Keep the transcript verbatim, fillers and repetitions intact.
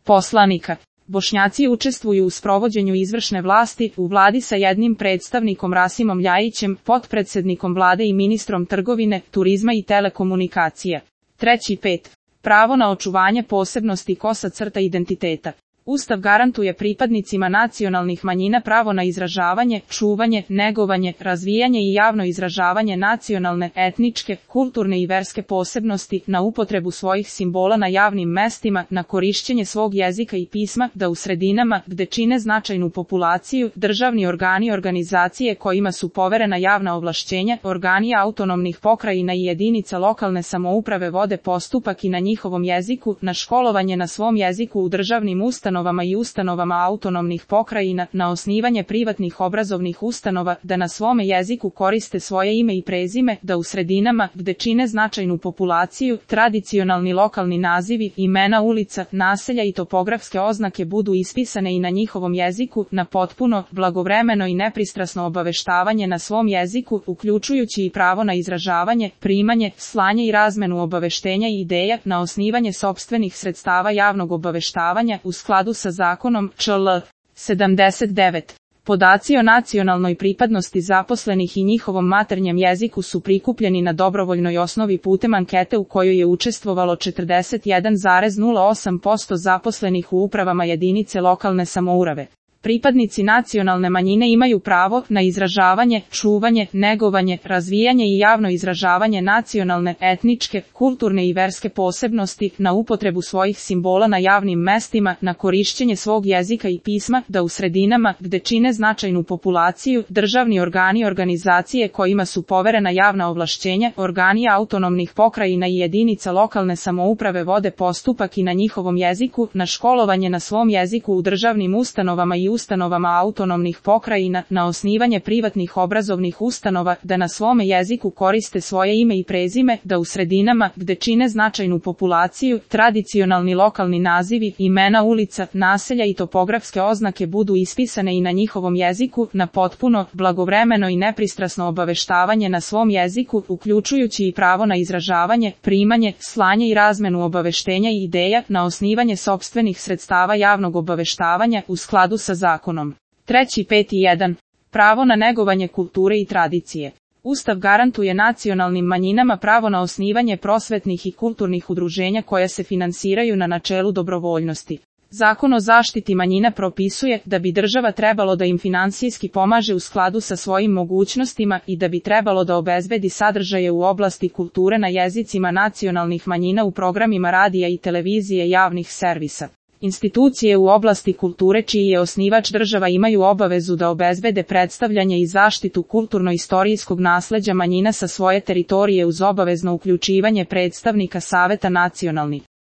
poslanika. Bošnjaci učestvuju u sprovođenju izvršne vlasti u vladi sa jednim predstavnikom Rasimom Ljajićem, potpredsednikom vlade i ministrom trgovine, turizma i telekomunikacija. Treći pet. Pravo na očuvanje posebnosti kosa crta identiteta. Ustav garantuje pripadnicima nacionalnih manjina pravo na izražavanje, čuvanje, negovanje, razvijanje i javno izražavanje nacionalne, etničke, kulturne i verske posebnosti, na upotrebu svojih simbola na javnim mestima, na korišćenje svog jezika i pisma, da u sredinama, gde čine značajnu populaciju, državni organi i organizacije kojima su poverena javna ovlašćenja, organi autonomnih pokrajina i jedinica lokalne samouprave vode postupak i na njihovom jeziku, na školovanje na svom jeziku u državnim ustanovama i ustanovama autonomnih pokrajina, na osnivanje privatnih obrazovnih ustanova, da na svome jeziku koriste svoje ime i prezime, da u sredinama, gde čine značajnu populaciju, tradicionalni lokalni nazivi, imena ulica, naselja i topografske oznake budu ispisane i na njihovom jeziku, na potpuno, blagovremeno i nepristrasno obaveštavanje na svom jeziku, uključujući i pravo na izražavanje, primanje, slanje i razmenu obaveštenja i ideja, na osnivanje sopstvenih sredstava javnog obaveštavanja u skladu sa zakonom čl. sedamdeset devet. Podaci o nacionalnoj pripadnosti zaposlenih i njihovom maternjem jeziku su prikupljeni na dobrovoljnoj osnovi putem ankete u kojoj je učestvovalo četrdeset jedan zarez nula osam posto zaposlenih u upravama jedinice lokalne samouprave. Pripadnici nacionalne manjine imaju pravo na izražavanje, čuvanje, negovanje, razvijanje i javno izražavanje nacionalne, etničke, kulturne i verske posebnosti, na upotrebu svojih simbola na javnim mestima, na korišćenje svog jezika i pisma, da u sredinama, gde čine značajnu populaciju, državni organi i organizacije kojima su poverena javna ovlašćenja, organi autonomnih pokrajina i jedinica lokalne samouprave vode postupak i na njihovom jeziku, na školovanje na svom jeziku u državnim ustanovama i ustanovama autonomnih pokrajina, na osnivanje privatnih obrazovnih ustanova, da na svome jeziku koriste svoje ime i prezime, da u sredinama, gde čine značajnu populaciju, tradicionalni lokalni nazivi, imena ulica, naselja i topografske oznake budu ispisane i na njihovom jeziku, na potpuno, blagovremeno i nepristrasno obaveštavanje na svom jeziku, uključujući i pravo na izražavanje, primanje, slanje i razmenu obaveštenja i ideja, na osnivanje sopstvenih sredstava javnog obaveštavanja u skladu sa zakonom. Treći pet i jedan. Pravo na negovanje kulture i tradicije. Ustav garantuje nacionalnim manjinama pravo na osnivanje prosvetnih i kulturnih udruženja koja se finansiraju na načelu dobrovoljnosti. Zakon o zaštiti manjina propisuje da bi država trebalo da im finansijski pomaže u skladu sa svojim mogućnostima i da bi trebalo da obezbedi sadržaje u oblasti kulture na jezicima nacionalnih manjina u programima radija i televizije javnih servisa. Institucije u oblasti kulture čiji je osnivač država imaju obavezu da obezbede predstavljanje i zaštitu kulturno-istorijskog nasleđa manjina sa svoje teritorije uz obavezno uključivanje predstavnika Saveta nacionalnih